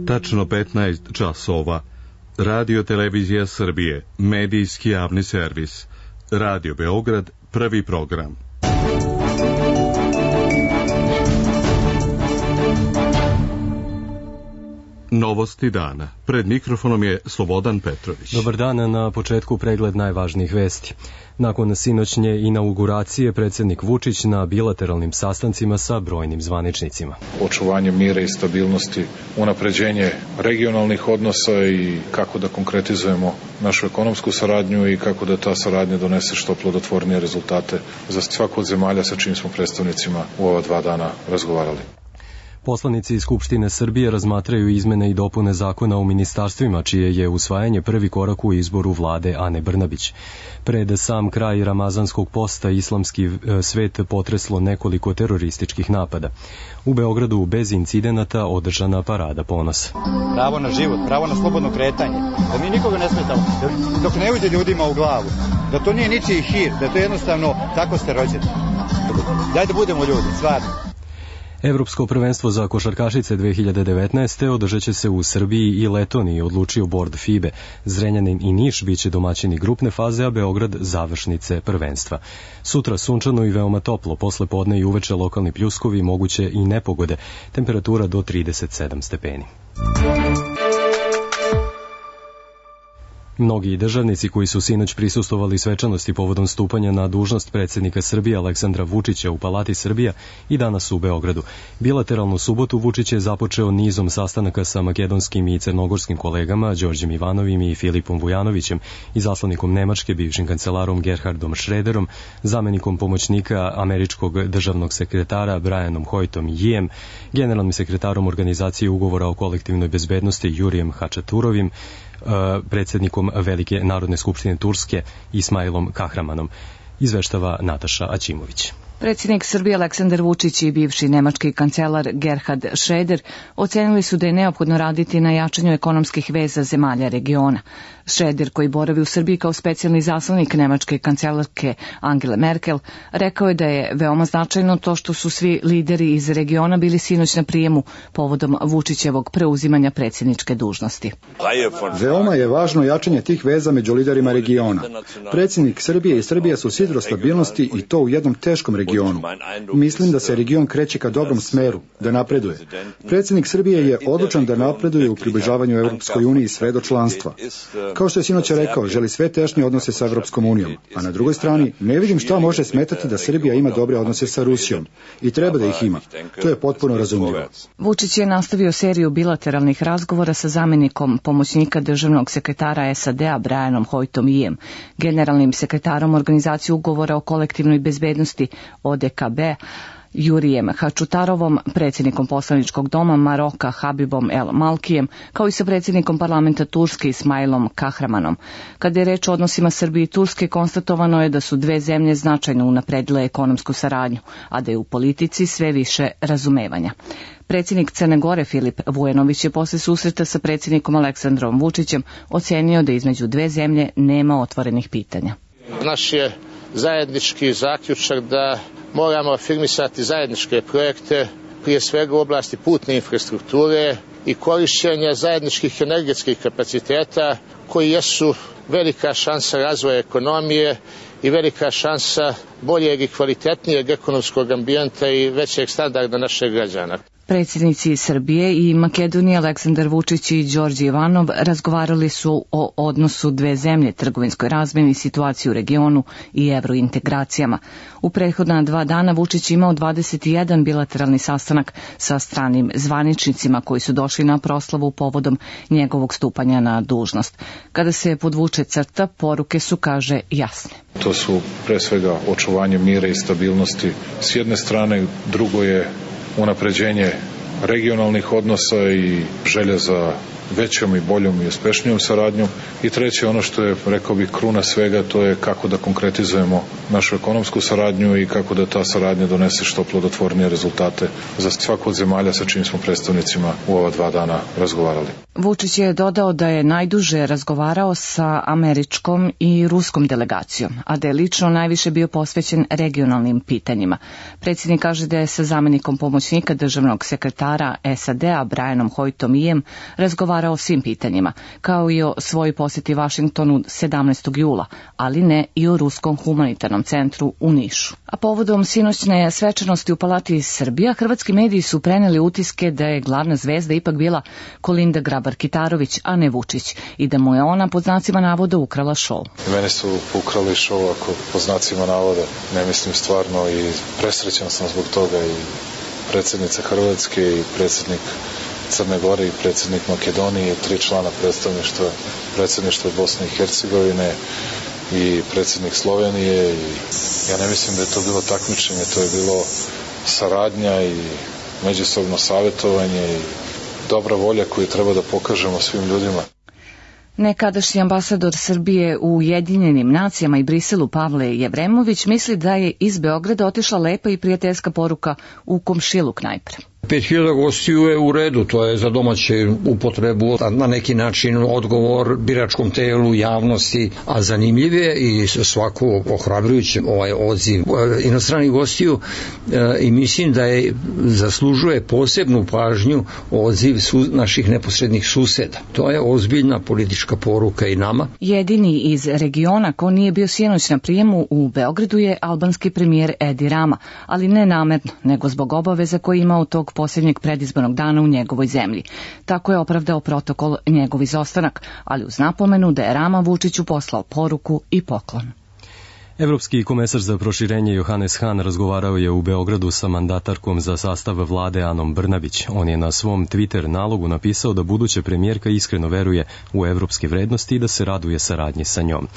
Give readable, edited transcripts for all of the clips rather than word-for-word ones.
Tačno 15 časova. Radio Televizija Srbije, medijski javni servis. Radio Beograd, prvi program. Novosti dana. Pred mikrofonom je Slobodan Petrović. Dobar dan, na početku pregled najvažnijih vesti. Nakon sinoćnje inauguracije, predsjednik Vučić na bilateralnim sastancima sa brojnim zvaničnicima. Očuvanje mira i stabilnosti, unapređenje regionalnih odnosa i kako da konkretizujemo našu ekonomsku saradnju i kako da ta saradnja donese što plodotvornije rezultate za svaku od zemalja sa čijim smo predstavnicima u ova 2 dana razgovarali. Poslanici Skupštine Srbije razmatraju izmene i dopune zakona o ministarstvima, čije je usvajanje prvi korak u izboru vlade Ane Brnabić. Pred sam kraj ramazanskog posta islamski svet potreslo nekoliko terorističkih napada. U Beogradu bez incidenata održana parada ponosa. Pravo na život, pravo na slobodno kretanje, da mi nikoga ne smetamo, dok ne uđe ljudima u glavu, da to nije ničiji hir, da to jednostavno tako ste rođeni. Daj da budemo ljudi, stvarno. Evropsko prvenstvo za košarkašice 2019. održat će se u Srbiji i Letoniji, odlučio bord FIBE. Zrenjanin i Niš biće domaćini grupne faze, a Beograd završnice prvenstva. Sutra sunčano i veoma toplo, posle podne i uveče lokalni pljuskovi, moguće i nepogode, temperatura do 37 stepeni. Mnogi državnici koji su sinoć prisustvovali svečanosti povodom stupanja na dužnost predsjednika Srbije Aleksandra Vučića u Palati Srbija i danas u Beogradu. Bilateralnu subotu Vučić je započeo nizom sastanaka sa makedonskim i crnogorskim kolegama Đorđem Ivanovim i Filipom Vujanovićem, izaslanikom Nemačke, bivšim kancelarom Gerhardom Schröderom, zamenikom pomoćnika američkog državnog sekretara Brianom Hoytom Yijem, generalnim sekretarom Organizacije ugovora o kolektivnoj bezbednosti Jurijem Hačaturovim, predsjednikom Velike narodne skupštine Turske Ismailom Kahramanom, izveštava Nataša Aćimović. Predsjednik Srbije Aleksandar Vučić i bivši nemački kancelar Gerhard Schröder ocenili su da je neophodno raditi na jačanju ekonomskih veza zemalja regiona. Schröder, koji boravi u Srbiji kao specijalni zaslanik nemačke kancelarke Angele Merkel, rekao je da je veoma značajno to što su svi lideri iz regiona bili sinoć na prijemu povodom Vučićevog preuzimanja predsjedničke dužnosti. Veoma je važno jačanje tih veza među liderima regiona. Predsjednik Srbije i Srbija su sidro stabilnosti i to u jednom teškom regionu. Mislim da se region kreće ka dobrom smeru, da napreduje. Predsjednik Srbije je odlučan da napreduje u približavanju Evropskoj uniji sve do članstva. Kao što je sinoć rekao, želi sve tešnje odnose sa Evropskom unijom, a na drugoj strani ne vidim šta može smetati da Srbija ima dobre odnose sa Rusijom i treba da ih ima. To je potpuno razumljivo. Vučić je nastavio seriju bilateralnih razgovora sa zamenikom pomoćnika državnog sekretara SAD-a Brianom Hoytom Yijem, generalnim sekretarom Organizacije ugovora o kolektivnoj bezbednosti ODKB, Jurijem Hačutarovom, predsjednikom poslaničkog doma Maroka Habibom El Malkijem, kao i sa predsjednikom parlamenta Turske Ismailom Kahramanom. Kada je reč o odnosima Srbije i Turske, konstatovano je da su dve zemlje značajno unapredile ekonomsku saradnju, a da je u politici sve više razumevanja. Predsjednik Crne Gore Filip Vujanović je posle susreta sa predsjednikom Aleksandrom Vučićem ocenio da između dve zemlje nema otvorenih pitanja. Naš je zajednički zaključak da moramo afirmisati zajedničke projekte, prije svega u oblasti putne infrastrukture i korišćenja zajedničkih energetskih kapaciteta koji jesu velika šansa razvoja ekonomije i velika šansa boljeg i kvalitetnijeg ekonomskog ambijenta i većeg standarda naših građana. Predsjednici Srbije i Makedonije Aleksandar Vučić i Đorđe Ivanov razgovarali su o odnosu dve zemlje, trgovinskoj razmjeni, situaciji u regionu i evrointegracijama. U prethodna 2 dana Vučić imao 21 bilateralni sastanak sa stranim zvaničnicima koji su došli na proslavu povodom njegovog stupanja na dužnost. Kada se podvuče crta, poruke su, kaže, jasne. To su pre svega očuvanje mira i stabilnosti s jedne strane, drugo je unapređenje regionalnih odnosa i želja za većom i boljom i uspešnijom saradnjom. I treće, ono što je, rekao bih, kruna svega, to je kako da konkretizujemo našu ekonomsku saradnju i kako da ta saradnja donese što plodotvornije rezultate za svaku od zemalja sa čim smo predstavnicima u ova 2 dana razgovarali. Vučić je dodao da je najduže razgovarao sa američkom i ruskom delegacijom, a da je lično najviše bio posvećen regionalnim pitanjima. Predsjednik kaže da je sa zamenikom pomoćnika državnog sekretara SAD-a Brianom Hoytom razgovarao o svim pitanjima, kao i o svojoj posjeti Vašingtonu 17. jula, ali ne i o Ruskom humanitarnom centru u Nišu. A povodom sinoćne svečanosti u Palati Srbija, hrvatski mediji su preneli utiske da je glavna zvezda ipak bila Kolinda Grabar-Kitarović, a ne Vučić, i da mu je ona pod znacima navoda ukrala šou. Mene su ukrali šou, ako pod znacima navoda, ne mislim stvarno, i presrećan sam zbog toga, i predsjednica Hrvatske i predsjednik Crne Gore i predsjednik Makedonije i 3 člana predsjedništva Bosne i Hercegovine i predsjednik Slovenije. I ja ne mislim da je to bilo takmičenje, to je bilo saradnja i međusobno savjetovanje i dobra volja koju treba da pokažemo svim ljudima. Nekadašnji ambasador Srbije u Ujedinjenim nacijama i Briselu Pavle Jevremović misli da je iz Beograda otišla lepa i prijateljska poruka u komšiluk najpre. 5000 gostiju je u redu, to je za domaće upotrebu, na neki način odgovor biračkom telu, javnosti, a zanimljiv je i svako ohrabrujuće odziv inostranih gostiju i mislim da je zaslužuje posebnu pažnju odziv naših neposrednih suseda. To je ozbiljna politička poruka i nama. Jedini iz regiona ko nije bio sinoć na prijemu u Beogradu je albanski premijer Edi Rama, ali ne namerno, nego zbog obaveza koje ima od tog posljednjeg predizbornog dana u njegovoj zemlji. Tako je opravdao protokol njegov izostanak, ali uz napomenu da je Rama Vučiću poslao poruku i poklon. Evropski komesar za proširenje Johannes Hahn razgovarao je u Beogradu sa mandatarkom za sastav vlade Anom Brnabić. On je na svom Twitter nalogu napisao da buduća premijerka iskreno veruje u evropske vrednosti i da se raduje saradnji sa njom.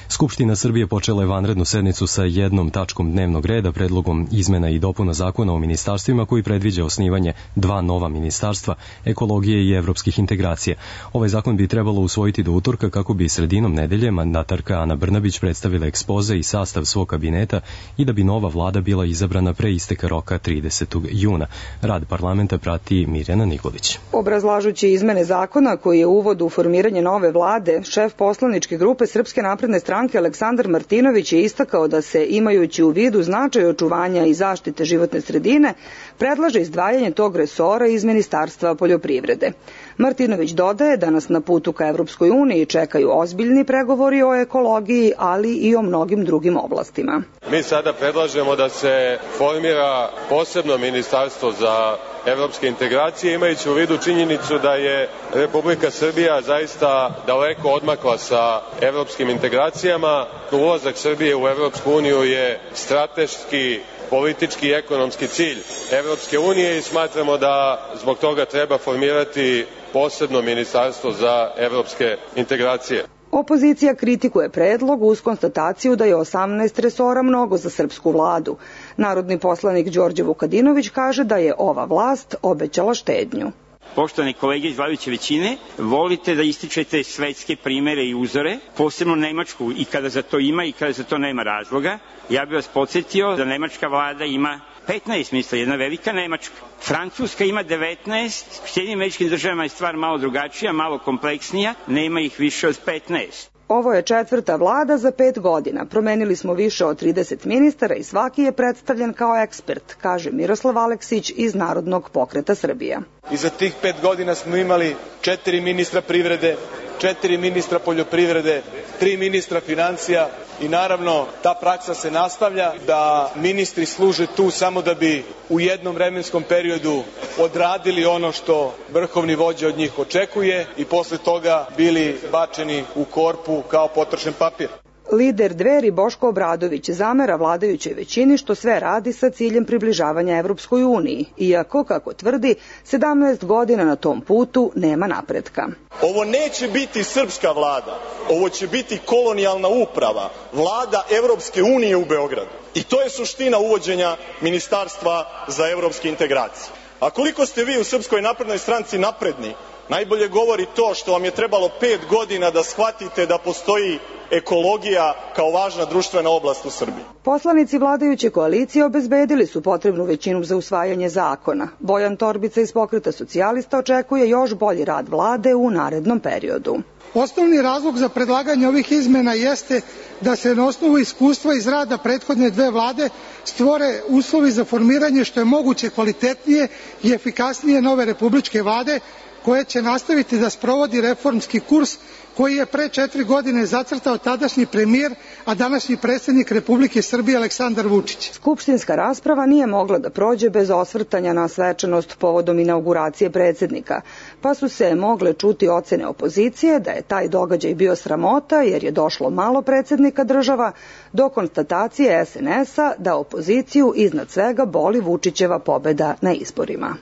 Skupština Srbije počela je vanrednu sednicu sa jednom tačkom dnevnog reda, predlogom izmena i dopuna zakona o ministarstvima koji predviđa osnivanje 2 nova ministarstva, ekologije i evropskih integracija. Ovaj zakon bi trebalo usvojiti do utorka kako bi sredinom nedelje mandatarka Ana Brnabić predstavila ekspoze i sastav svog kabineta i da bi nova vlada bila izabrana pre isteka roka 30. juna. Rad parlamenta prati Mirjana Nikolić. Obrazlažući izmene zakona koji je uvod u formiranje nove vlade, šef poslaničke grupe Srpske napredne stranke Aleksandar Martinović je istakao da se, imajući u vidu značaj očuvanja i zaštite životne sredine, predlaže izdvajanje tog resora iz Ministarstva poljoprivrede. Martinović dodaje da nas na putu ka Evropskoj uniji čekaju ozbiljni pregovori o ekologiji, ali i o mnogim drugim oblastima. Mi sada predlažemo da se formira posebno ministarstvo za evropske integracije, imajući u vidu činjenicu da je Republika Srbija zaista daleko odmakla sa evropskim integracijama. Ulazak Srbije u Evropsku uniju je strateški, politički i ekonomski cilj Evropske unije i smatramo da zbog toga treba formirati posebno ministarstvo za evropske integracije. Opozicija kritikuje predlog uz konstataciju da je 18 resora mnogo za srpsku vladu. Narodni poslanik Đorđe Vukadinović kaže da je ova vlast obećala štednju. Poštovani kolege iz vladajuće većine, volite da ističete svetske primere i uzore, posebno Nemačku, i kada za to ima i kada za to nema razloga. Ja bih vas podsjetio da nemačka vlada ima 15 ministra, jedna velika Nemačka. Francuska ima 19, u Sjedinjenim Američkim Državama je stvar malo drugačija, malo kompleksnija, nema ih više od 15. Ovo je 4. vlada za 5 godina. Promenili smo više od 30 ministara i svaki je predstavljen kao ekspert, kaže Miroslav Aleksić iz Narodnog pokreta Srbija. I za tih 5 godina smo imali 4 ministra privrede, 4 ministra poljoprivrede, 3 ministra financija i naravno ta praksa se nastavlja da ministri služe tu samo da bi u jednom vremenskom periodu odradili ono što vrhovni vođa od njih očekuje i posle toga bili bačeni u korpu kao potrošen papir. Lider Dveri Boško Obradović zamera vladajućoj većini što sve radi sa ciljem približavanja Evropskoj uniji, iako, kako tvrdi, 17 godina na tom putu nema napretka. Ovo neće biti srpska vlada, ovo će biti kolonijalna uprava, vlada Evropske unije u Beogradu. I to je suština uvođenja Ministarstva za evropske integracije. A koliko ste vi u Srpskoj naprednoj stranci napredni, Najbolje govori to što vam je trebalo 5 godina da shvatite da postoji ekologija kao važna društvena oblast u Srbiji. Poslanici vladajuće koalicije obezbedili su potrebnu većinu za usvajanje zakona. Bojan Torbica iz Pokreta socijalista očekuje još bolji rad vlade u narednom periodu. Osnovni razlog za predlaganje ovih izmena jeste da se na osnovu iskustva iz rada prethodne 2 vlade stvore uslovi za formiranje što je moguće kvalitetnije i efikasnije nove republičke vlade koje će nastaviti da sprovodi reformski kurs koji je pre 4 godine zacrtao tadašnji premijer, a današnji predsjednik Republike Srbije Aleksandar Vučić. Skupštinska rasprava nije mogla da prođe bez osvrtanja na svečanost povodom inauguracije predsjednika, pa su se mogle čuti ocene opozicije da je taj događaj bio sramota jer je došlo malo predsjednika država, do konstatacije SNS-a da opoziciju iznad svega boli Vučićeva pobeda na izborima.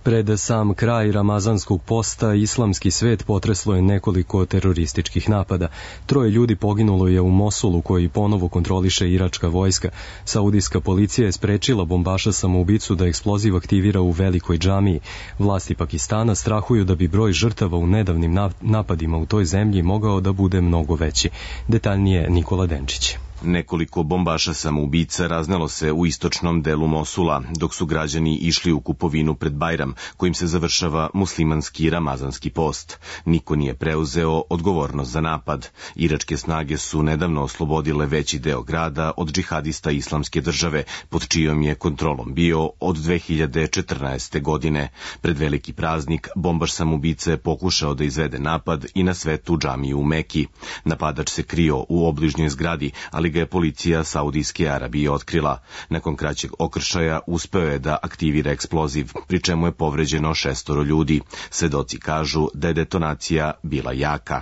Pred sam kraj ramazanskog posta islamski svet potreslo je nekoliko terorističkih napada. 3 ljudi poginulo je u Mosulu koji ponovo kontroliše iračka vojska. Saudijska policija je sprečila bombaša samoubicu da eksploziv aktivira u velikoj džamiji. Vlasti Pakistana strahuju da bi broj žrtava u nedavnim napadima u toj zemlji mogao da bude mnogo veći. Detaljnije Nikola Denčić. Nekoliko bombaša samoubica raznelo se u istočnom delu Mosula, dok su građani išli u kupovinu pred Bajram, kojim se završava muslimanski ramazanski post. Niko nije preuzeo odgovornost za napad. Iračke snage su nedavno oslobodile veći deo grada od džihadista Islamske države, pod čijom je kontrolom bio od 2014. godine. Pred veliki praznik, bombaš samoubica je pokušao da izvede napad i na svetu džamiju u Meki. Napadač se krio u obližnjoj zgradi, ali ga je policija Saudijske Arabije otkrila. Nakon kraćeg okršaja uspeo je da aktivira eksploziv, pri čemu je povređeno 6 ljudi. Svedoci kažu da je detonacija bila jaka.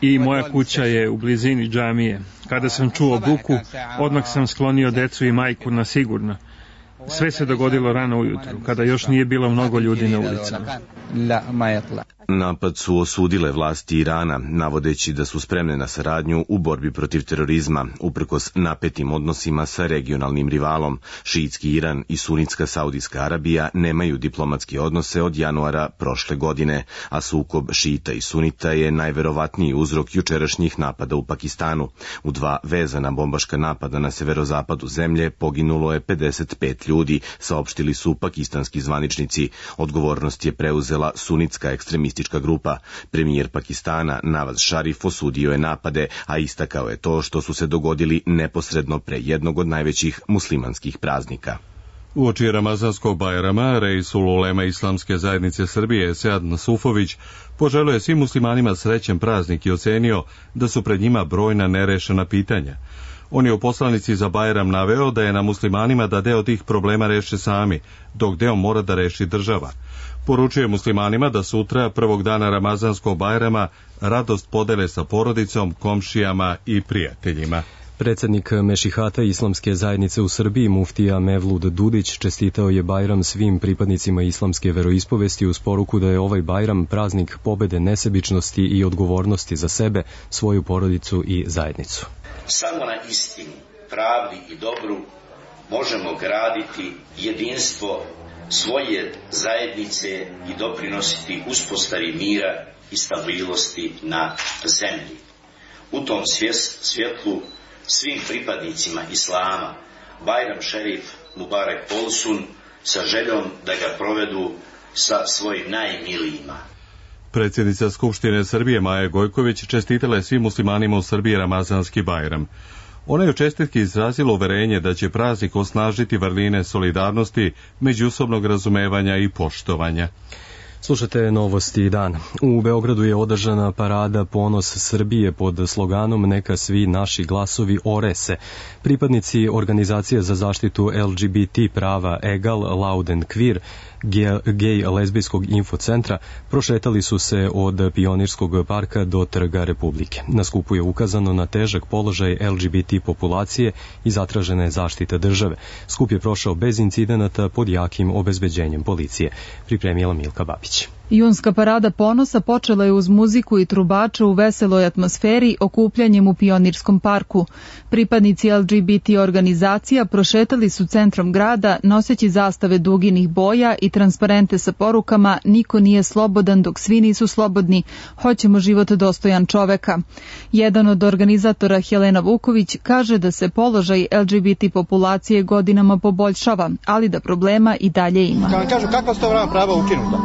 I moja kuća je u blizini džamije. Kada sam čuo buku, odmah sam sklonio decu i majku na sigurno. Sve se dogodilo rano ujutru, kada još nije bilo mnogo ljudi na ulicama. Napad su osudile vlasti Irana, navodeći da su spremne na saradnju u borbi protiv terorizma, uprkos napetim odnosima sa regionalnim rivalom. Šiitski Iran i sunitska Saudijska Arabija nemaju diplomatske odnose od januara prošle godine, a sukob šita i sunita je najverovatniji uzrok jučerašnjih napada u Pakistanu. U 2 vezana bombaška napada na severozapadu zemlje poginulo je 55 ljudi, saopštili su pakistanski zvaničnici. Odgovornost je preuzela sunitska ekstremistička grupa. Premijer Pakistana Nawaz Sharif osudio je napade, a istakao je to što su se dogodili neposredno pre jednog od najvećih muslimanskih praznika. Uoči ramazanskog Bajrama, Reisul Ulema Islamske zajednice Srbije Sead Nasufović poželio je svim muslimanima srećan praznik i ocenio da su pred njima brojna nerešena pitanja. On je u poslanici za Bajram naveo da je na muslimanima da deo tih problema reše sami, dok deo mora da reši država. Poručuje muslimanima da sutra, prvog dana ramazanskog Bajrama, radost podele sa porodicom, komšijama i prijateljima. Predsjednik Mešihata Islamske zajednice u Srbiji, muftija Mevlud Dudić, čestitao je Bajram svim pripadnicima islamske veroispovesti uz poruku da je ovaj Bajram praznik pobede nesebičnosti i odgovornosti za sebe, svoju porodicu i zajednicu. Samo na istini, pravdi i dobru možemo graditi jedinstvo svoje zajednice i doprinositi uspostavi mira i stabilnosti na zemlji. U tom svjetlu svim pripadnicima Islama Bajram Šerif Mubarek Olsun sa željom da ga provedu sa svojim najmilijima. Predsjednica Skupštine Srbije Maja Gojković čestitala je svim muslimanima u Srbiji ramazanski Bajram. Ona je u čestitki izrazila uverenje da će praznik osnažiti vrline solidarnosti, međusobnog razumevanja i poštovanja. Slušate Novosti dan. U Beogradu je održana parada Ponos Srbije pod sloganom Neka svi naši glasovi ore se. Pripadnici organizacije za zaštitu LGBT prava Egal, Loud and Queer, gej lezbijskog infocentra, prošetali su se od Pionirskog parka do Trga Republike. Na skupu je ukazano na težak položaj LGBT populacije i zatražena je zaštita države. Skup je prošao bez incidenata pod jakim obezbeđenjem policije. Pripremila Milka Babić. Junska parada ponosa počela je uz muziku i trubače u veseloj atmosferi okupljanjem u Pionirskom parku. Pripadnici LGBT organizacija prošetali su centrom grada noseći zastave duginih boja i transparente sa porukama "Niko nije slobodan dok svi nisu slobodni, hoćemo život dostojan čoveka". Jedan od organizatora, Helena Vuković, kaže da se položaj LGBT populacije godinama poboljšava, ali da problema i dalje ima. Kad vam kažu kakva su to prava ukinuta?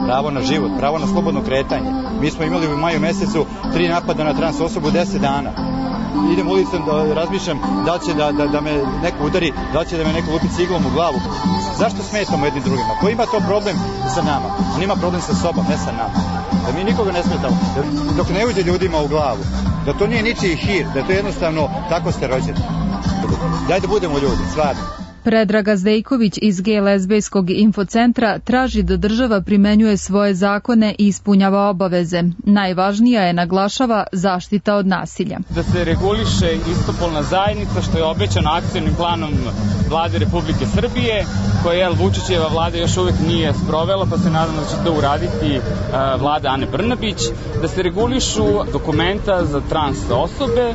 Pravo na život, pravo na slobodno kretanje. Mi smo imali u maju mesecu 3 napada na trans osobu 10 dana. Idem ulicom da razmišljam da li će da me neko udari, da li će da me neko lupi ciglom u glavu. Zašto smetamo jedni drugima? Ko ima to problem sa nama? On ima problem sa sobom, ne sa nama. Da mi nikoga ne smetamo, dok ne uđe ljudima u glavu. Da to nije ničiji hir, da to jednostavno tako ste rođeni. Daj da budemo ljudi, stvarno. Predraga Zdejković iz Gej-lezbejskog infocentra traži da država primenjuje svoje zakone i ispunjava obaveze. Najvažnija je, naglašava, zaštita od nasilja. Da se reguliše istopolna zajednica, što je obećano akcionim planom Vlade Republike Srbije, koje Vučićeva vlada još uvek nije sprovela, pa se nadam da će to uraditi vlada Ane Brnabić, da se regulišu dokumenta za trans osobe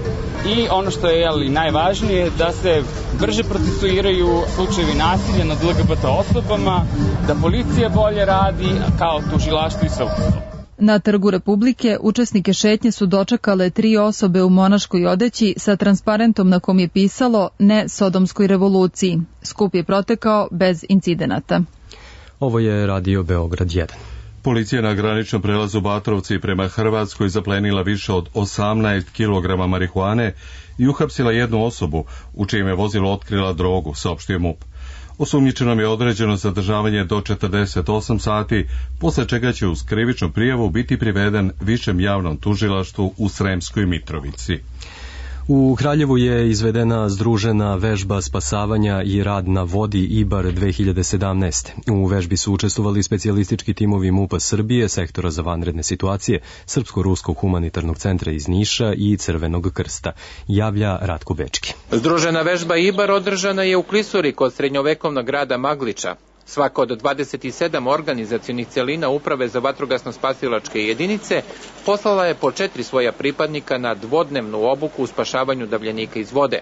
i ono što je najvažnije, da se brže procesuiraju slučajevi nasilja nad LGBT osobama, da policija bolje radi kao tužilaštvo i sudstvo. Na Trgu Republike učesnike šetnje su dočekale 3 osobe u monaškoj odeći sa transparentom na kom je pisalo "Ne Sodomskoj revoluciji". Skup je protekao bez incidenata. Ovo je Radio Beograd 1. Policija na graničnom prelazu Batrovci prema Hrvatskoj zaplenila više od 18 kg marihuane i uhapsila jednu osobu u čijem je vozilo otkrila drogu, saopštio MUP. Osumnjičenom je određeno zadržavanje do 48 sati, posle čega će uz krivičnu prijavu biti priveden Višem javnom tužilaštvu u Sremskoj Mitrovici. U Kraljevu je izvedena združena vežba spasavanja i rad na vodi IBAR 2017. U vežbi su učestvovali specijalistički timovi MUP-a Srbije, Sektora za vanredne situacije, Srpsko-ruskog humanitarnog centra iz Niša i Crvenog krsta, javlja Ratko Bečki. Združena vežba IBAR održana je u Klisuri kod srednjovekovnog grada Magliča. Svaka od 27 organizacionih celina Uprave za vatrogasno-spasilačke jedinice poslala je po 4 svoja pripadnika na dvodnevnu obuku u spašavanju davljenika iz vode.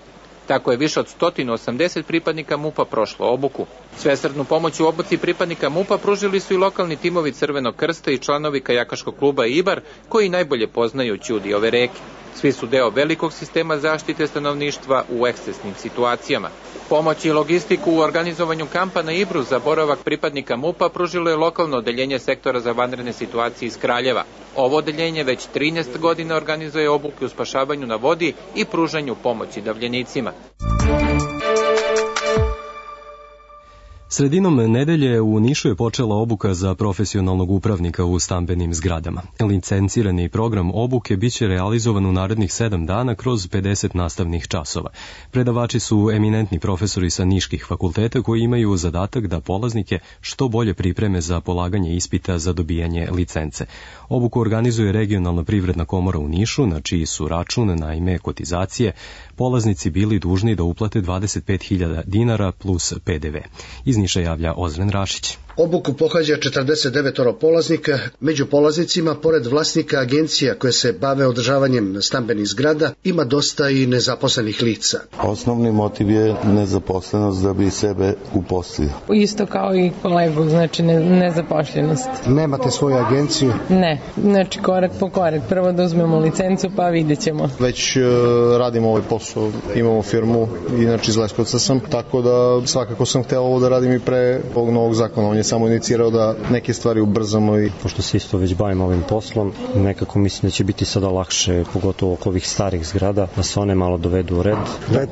Tako je više od 180 pripadnika MUP-a prošlo obuku. Svesrdnu pomoć u obuci pripadnika MUP-a pružili su i lokalni timovi Crvenog krsta i članovi kajakaškog kluba IBAR, koji najbolje poznaju ćudi ove reke. Svi su deo velikog sistema zaštite stanovništva u ekscesnim situacijama. Pomoć i logistiku u organizovanju kampa na Ibru za boravak pripadnika MUP-a pružilo je lokalno odeljenje Sektora za vanredne situacije iz Kraljeva. Ovo odeljenje već 13 godina organizuje obuke u spašavanju na vodi i pružanju pomoći davljenicima. Sredinom nedelje u Nišu je počela obuka za profesionalnog upravnika u stambenim zgradama. Licencirani program obuke biće realizovan u narednih 7 dana kroz 50 nastavnih časova. Predavači su eminentni profesori sa niških fakulteta koji imaju zadatak da polaznike što bolje pripreme za polaganje ispita za dobijanje licence. Obuku organizuje Regionalna privredna komora u Nišu, na čiji su račun na ime kotizacije polaznici bili dužni da uplate 25.000 dinara plus PDV. Iz Niša javlja Ozren Rašić. Obuku pohađa 49 polaznika, među polaznicima, pored vlasnika agencija koje se bave održavanjem stambenih zgrada, ima dosta i nezaposlenih lica. Osnovni motiv je nezaposlenost da bi sebe uposlio. Isto kao i kolegu, znači nezaposlenost. Nemate svoju agenciju? Ne, znači korak po korak. Prvo da uzmemo licencu pa vidjet ćemo. Već radimo ovaj posao, imamo firmu, inače iz Leskovca sam, tako da svakako sam hteo ovo da radim i pre ovog novog zakona. On je samo inicirao da neke stvari ubrzamo. Pošto se isto već bavimo ovim poslom, nekako mislim da će biti sada lakše, pogotovo oko ovih starih zgrada, da se one malo dovedu u red.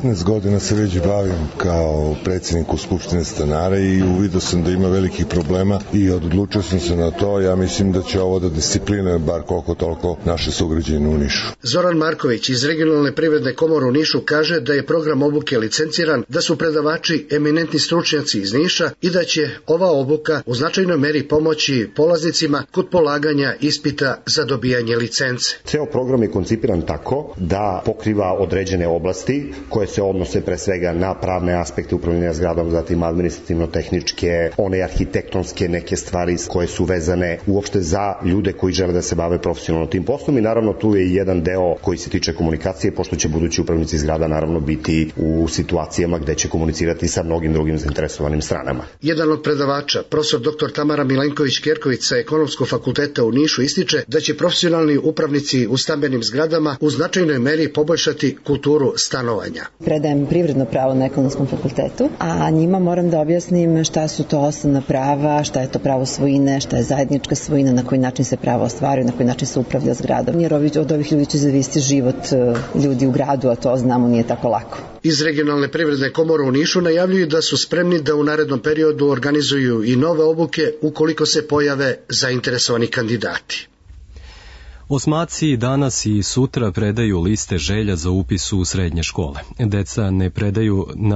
15 godina se već bavim kao predsjednik u Skupštine stanara i uvidio sam da ima velikih problema i odlučio sam se na to. Ja mislim da će ovo da disciplinuje bar koliko toliko naše sugrađane u Nišu. Zoran Marković iz Regionalne privredne komore u Nišu kaže da je program obuke licenciran, da su predavači eminentni stručnjaci iz Niša i da će ova obuka obuka u značajnoj meri pomoći polaznicima kod polaganja ispita za dobijanje licence. Ceo program je koncipiran tako da pokriva određene oblasti koje se odnose pre svega na pravne aspekte upravljanja zgradom, zatim administrativno-tehničke, one arhitektonske neke stvari koje su vezane uopšte za ljude koji žele da se bave profesionalno tim poslom i naravno tu je i jedan deo koji se tiče komunikacije, pošto će budući upravnici zgrada naravno biti u situacijama gde će komunicirati sa mnogim drugim zainteresovanim stranama. Jedan od predavača, profesor dr. Tamara Milenković-Kerković sa Ekonomskog fakulteta u Nišu ističe da će profesionalni upravnici u stambenim zgradama u značajnoj meri poboljšati kulturu stanovanja. Predajem privredno pravo na Ekonomskom fakultetu, a njima moram da objasnim šta su to osnovna prava, šta je to pravo svojine, šta je zajednička svojina, na koji način se pravo ostvaruje, na koji način se upravlja zgradom. Jer od ovih ljudi će zavisiti život ljudi u gradu, a to znamo nije tako lako. Iz Regionalne privredne komore u Nišu najavljuju da su spremni da u narednom periodu organizuju i nove obuke ukoliko se pojave zainteresovani kandidati. Osmaci danas i sutra predaju liste želja za upis u srednje škole. Deca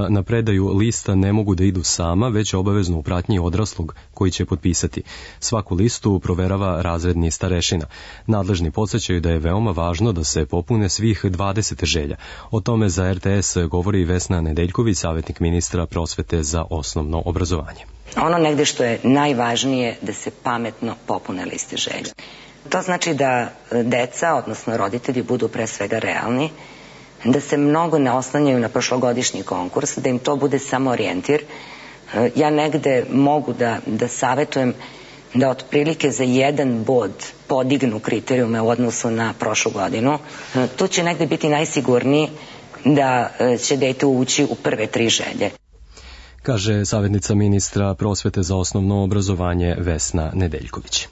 na predaju lista ne mogu da idu sama, već obavezno u pratnji odraslog koji će potpisati. Svaku listu proverava razredni starešina. Nadležni podsećaju da je veoma važno da se popune svih 20 želja. O tome za RTS govori Vesna Nedeljković, savjetnik ministra prosvete za osnovno obrazovanje. Ono negde što je najvažnije da se pametno popune liste želja. To znači da deca, odnosno roditelji, budu pre svega realni, da se mnogo ne oslanjaju na prošlogodišnji konkurs, da im to bude samo orijentir. Ja negde mogu da savetujem da otprilike za 1 bod podignu kriterijume u odnosu na prošlu godinu. Tu će negde biti najsigurniji da će dete ući u prve 3 želje. Kaže savjetnica ministra prosvete za osnovno obrazovanje Vesna Nedeljković.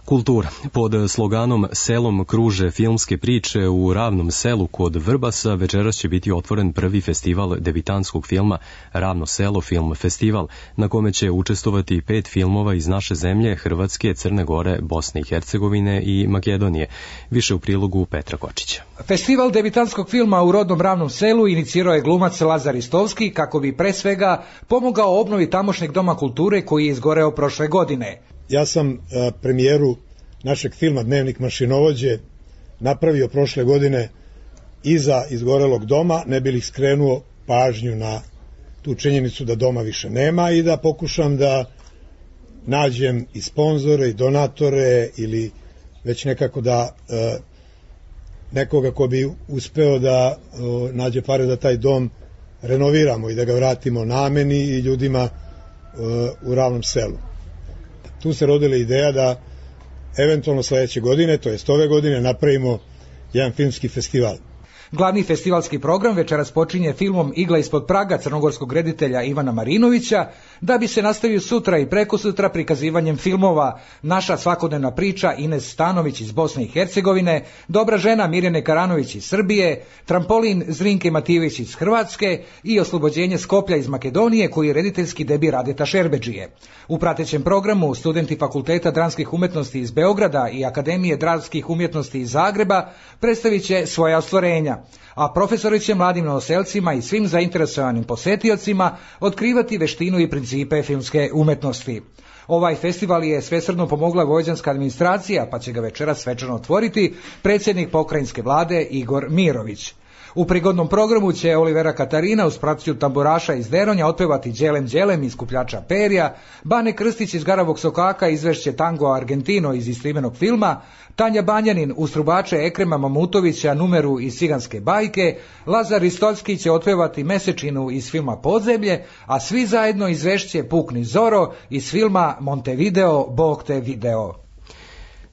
Kultura. Pod sloganom Selom kruže filmske priče u Ravnom selu kod Vrbasa večeras će biti otvoren prvi festival debitanskog filma Ravno selo film festival, na kome će učestvovati 5 filmova iz naše zemlje, Hrvatske, Crne Gore, Bosne i Hercegovine i Makedonije. Više u prilogu Petra Kočića. Festival debitanskog filma u rodnom Ravnom selu inicirao je glumac Lazar Istovski kako bi pre svega pomogao obnovi tamošnjeg doma kulture koji je izgoreo prošle godine. Ja sam premijeru našeg filma Dnevnik mašinovođe napravio prošle godine iza izgorelog doma, ne bi li skrenuo pažnju na tu činjenicu da doma više nema i da pokušam da nađem i sponzore i donatore ili već nekako da nekoga ko bi uspeo da nađe pare da taj dom renoviramo i da ga vratimo nameni i ljudima u Ravnom selu. Tu se rodila ideja da eventualno sledeće godine, to jest ove godine, napravimo jedan filmski festival. Glavni festivalski program večeras počinje filmom Igla ispod praga crnogorskog reditelja Ivana Marinovića, da bi se nastavio sutra i prekosutra prikazivanjem filmova Naša svakodnevna priča Ines Stanović iz Bosne i Hercegovine, Dobra žena Mirjane Karanović iz Srbije, Trampolin Zrinke Matijević iz Hrvatske i Oslobođenje Skoplja iz Makedonije, koji je rediteljski debi Radeta Šerbedžije. U pratećem programu studenti Fakulteta dramskih umetnosti iz Beograda i Akademije dramskih umjetnosti iz Zagreba predstavit će svoja ostvarenja, a profesori će mladim novoselcima i svim zainteresovanim posetiocima otkrivati veštinu i principe filmske umetnosti. Ovaj festival je svesrdno pomogla vojvođanska administracija, pa će ga večeras svečano otvoriti predsjednik pokrajinske vlade Igor Mirović. U prigodnom programu će Olivera Katarina uz pratnju tamburaša iz Deronja otpevati Đelem Đelem iz Kupljača perja, Bane Krstić iz Garavog sokaka izvešće Tango Argentino iz istoimenog filma, Tanja Banjanin uz trubače Ekrema Mamutovića numeru iz Ciganske bajke, Lazar Istovski će otpevati Mesečinu iz filma Podzemlje, a svi zajedno izvešće Pukni Zoro iz filma Montevideo, Bog te video.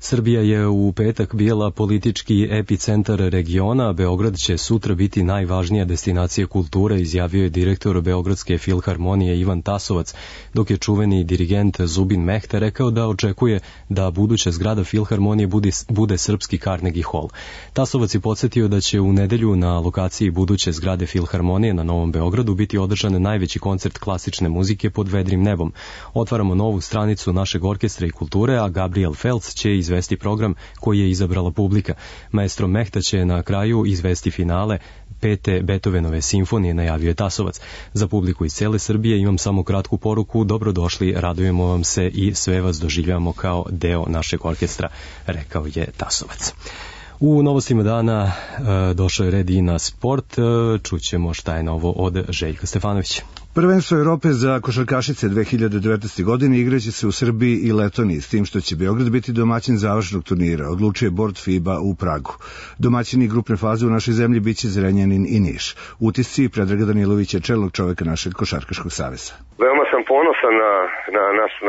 Srbija je u petak bila politički epicentar regiona, a Beograd će sutra biti najvažnija destinacija kulture, izjavio je direktor Beogradske filharmonije Ivan Tasovac, dok je čuveni dirigent Zubin Mehta rekao da očekuje da buduća zgrada filharmonije bude srpski Carnegie Hall. Tasovac je podsjetio da će u nedelju na lokaciji buduće zgrade filharmonije na Novom Beogradu biti održan najveći koncert klasične muzike pod vedrim nebom. Otvaramo novu stranicu našeg orkestra i kulture, a Gabriel Felc će izvesti izvesti program koji je izabrala publika. Maestro Mehta će na kraju izvesti finale 5. Beethovenove simfonije, najavio je Tasovac. Za publiku iz cele Srbije imam samo kratku poruku: dobrodošli, radujemo vam se i sve vas doživljavamo kao deo našeg orkestra, rekao je Tasovac. U novostima dana došao je red i na sport. Čućemo šta je novo od Željka Stefanovića. Prvenstvo Evrope za košarkašice 2019. godine igraće se u Srbiji i Letoniji, s tim što će Beograd biti domaćin završnog turnira, odlučuje Bord FIBA u Pragu. Domaćini grupne faze u našoj zemlji biće Zrenjanin i Niš. Utisci Predraga Danilovića, čelnog čoveka našeg košarkaškog saveza. Veoma sam ponosan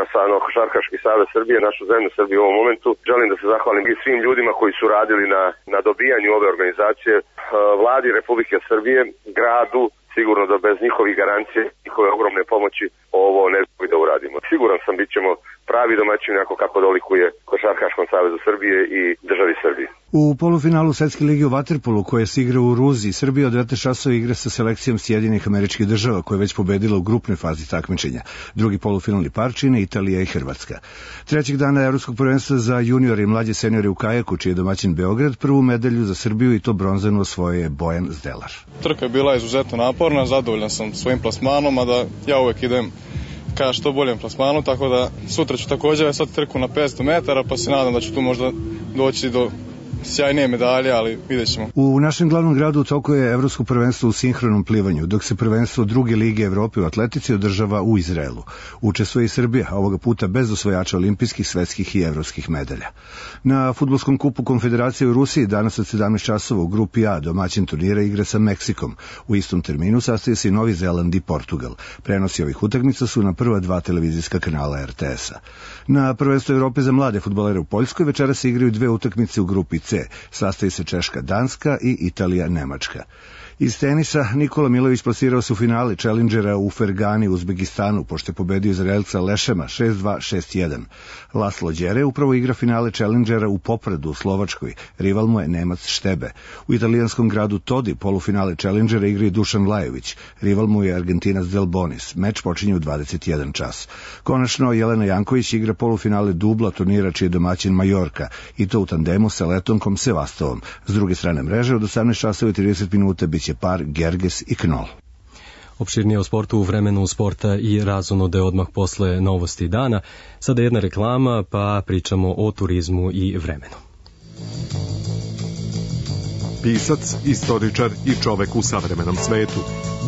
na Košarkaški savez Srbije, našu zemlju Srbiju u ovom momentu. Želim da se zahvalim i svim ljudima koji su radili na dobijanju ove organizacije, vladi Republike Srbije, gradu. Sigurno da bez njihovih garancije, njihove ogromne pomoći ovo ne bi da uradimo. Siguran sam bit ćemo pravi domaćini onako kako dolikuje Košarkaškom savezu Srbije i državi Srbije. U polufinalu Svetske lige u vaterpolu koje se igra u Ruziji, Srbija od 19 časova igra sa selekcijom Sjedinjenih Američkih Država koja je već pobedila u grupnoj fazi takmičenja. Drugi polufinalni par čine Italija i Hrvatska. Trećeg dana Evropskog prvenstva za juniore i mlađe seniore u kajaku, čiji je domaćin Beograd, prvu medalju za Srbiju i to bronzanu osvojio je Bojan Zdelar. Trka je bila izuzetno naporna, zadovoljan sam svojim plasmanom, a da ja uvek idem ka što boljem plasmanu, tako da sutra ću također vesati trku na 500 metara, pa se nadam da ću tu možda doći do sjajnije medalje, ali vidjet ćemo. U našem glavnom gradu u toku je Evropsko prvenstvo u sinhronom plivanju, dok se prvenstvo druge lige Evrope u atletici održava u Izraelu. Učestvuje i Srbija, ovoga puta bez osvajača olimpijskih, svetskih i evropskih medalja. Na fudbalskom kupu Konfederacije u Rusiji danas od 17 časova u grupi A domaćin turnira igra sa Meksikom. U istom terminu sastaje se i Novi Zeland i Portugal. Prenosi ovih utakmica su na prva dva televizijska kanala RTS-a. Na prvenstvo Evrope za mlade fudbalere u Poljskoj večera se igraju dve utakmice u grupi C. Sastaje se Češka, Danska i Italija, Nemačka. Iz tenisa Nikola Milović plasirao se u finale Challengera u Fergani u Uzbekistanu, pošto je pobedio Izraelca Lešema 6-2, 6-1. Laslo Đere upravo igra finale Challengera u Popradu u Slovačkoj, rival mu je Nemac Štebe. U italijanskom gradu Todi polufinale Challengera igra i Dušan Lajović, rival mu je Argentinac Del Bonis. Meč počinje u 21 čas. Konačno Jelena Janković igra polufinale dubla turnira čiji je domaćin Majorka, i to u tandemu sa Letonkom Sevastovom. S druge strane mreže od 18 časova i 30 minuta biće par Gerges i Knol. Opširnije o sportu u vremenu sporta i razonode odmah posle novosti dana. Sada jedna reklama, pa pričamo o turizmu i vremenu. Pisac, istoričar i čovek u savremenom svetu.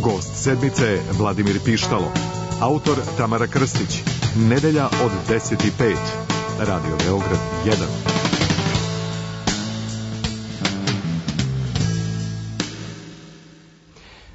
Gost sedmice je Vladimir Pištalo. Autor Tamara Krstić. Nedelja od 10:05. Radio Beograd 1.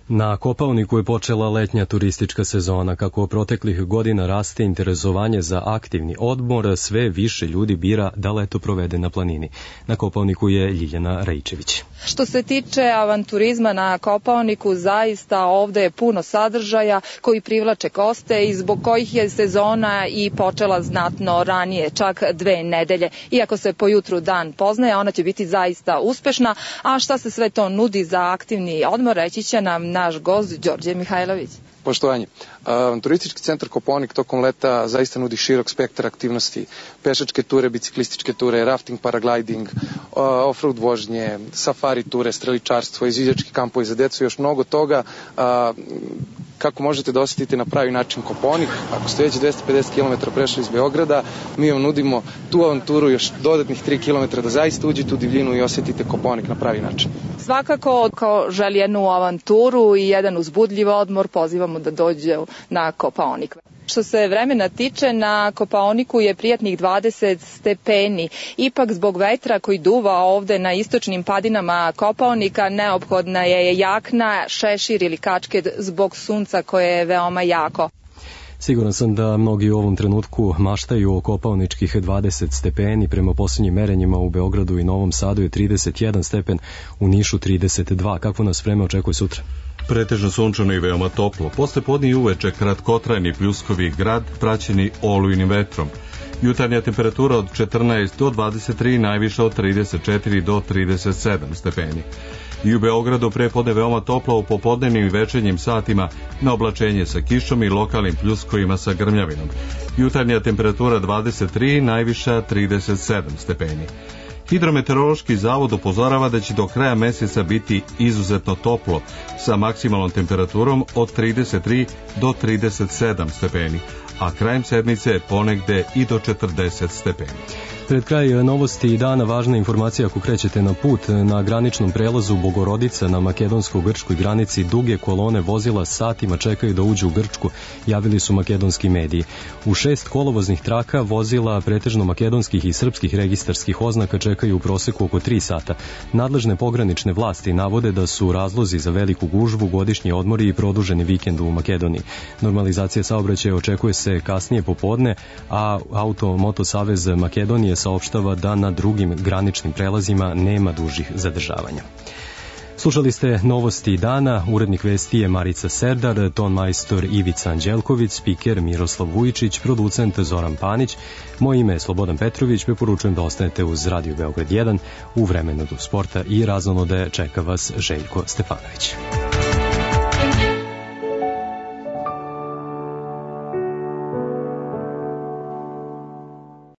Na Kopaoniku je počela letnja turistička sezona. Kako proteklih godina raste interesovanje za aktivni odmor, sve više ljudi bira da leto provede na planini. Na Kopaoniku je Ljiljana Rajčević. Što se tiče avanturizma na Kopaoniku, zaista ovde je puno sadržaja koji privlače goste i zbog kojih je sezona i počela znatno ranije, čak 2 nedelje. Iako se po jutru dan poznaje, ona će biti zaista uspešna. A šta se sve to nudi za aktivni odmor, reći će nam naš gost Đorđe Mihajlović. Poštovanje. Turistički centar Kopaonik tokom leta zaista nudi širok spektar aktivnosti. Pešačke ture, biciklističke ture, rafting, paragliding, off-road vožnje, safari ture, streličarstvo, izviđački kampovi za decu i još mnogo toga. Kako možete da osetite na pravi način Kopaonik? Ako ste već 250 km prešli iz Beograda, mi vam nudimo tu avanturu još dodatnih 3 km da zaista uđete u divljinu i osetite Kopaonik na pravi način. Svakako, ko želi jednu avanturu i jedan uzbudljiv odmor, pozivamo da dođe na Kopaonik. Što se vremena tiče, na Kopaoniku je prijatnih 20 stepeni. Ipak zbog vetra koji duva ovde na istočnim padinama Kopaonika neophodna je jakna, šešir ili kačket zbog sunca koje je veoma jako. Siguran sam da mnogi u ovom trenutku maštaju o kopaoničkih 20 stepeni. Prema posljednjim merenjima u Beogradu i Novom Sadu je 31 stepen, u Nišu 32. Kakvo nas vreme očekuje sutra? Pretežno sunčano i veoma toplo. Posle podne i uveče kratkotrajni pljuskovi grad praćeni olujnim vetrom. Jutarnja temperatura od 14 do 23, najviša od 34 do 37 stepeni. I u Beogradu prepodne veoma toplo u popodnevnim i večernjim satima, na oblačenje sa kišom i lokalnim pljuskovima sa grmljavinom. Jutarnja temperatura 23, najviša 37 stepeni. Hidrometeorološki zavod upozorava da će do kraja meseca biti izuzetno toplo, sa maksimalnom temperaturom od 33 do 37 stepeni, a krajem sedmice ponegde i do 40 stepeni. Pred kraj novosti dana važna informacija ako krećete na put. Na graničnom prelazu Bogorodica na makedonsko-grčkoj granici duge kolone vozila satima čekaju da uđu u Grčku, javili su makedonski mediji. U 6 kolovoznih traka vozila pretežno makedonskih i srpskih registarskih oznaka čekaju u proseku oko 3 sata. Nadležne pogranične vlasti navode da su razlozi za veliku gužvu godišnji odmori i produženi vikend u Makedoniji. Normalizacija saobraćaja očekuje se kasnije popodne, a Auto-Moto Savez Makedonije saopštava da na drugim graničnim prelazima nema dužih zadržavanja. Slušali ste novosti dana, urednik vesti je Marica Serdar, ton majstor Ivica Anđelković, spiker Miroslav Vujičić, producent Zoran Panić. Moje ime je Slobodan Petrović, preporučujem da ostanete uz Radio Beograd 1 u vremenu do sporta i raznonode čeka vas Željko Stefanović.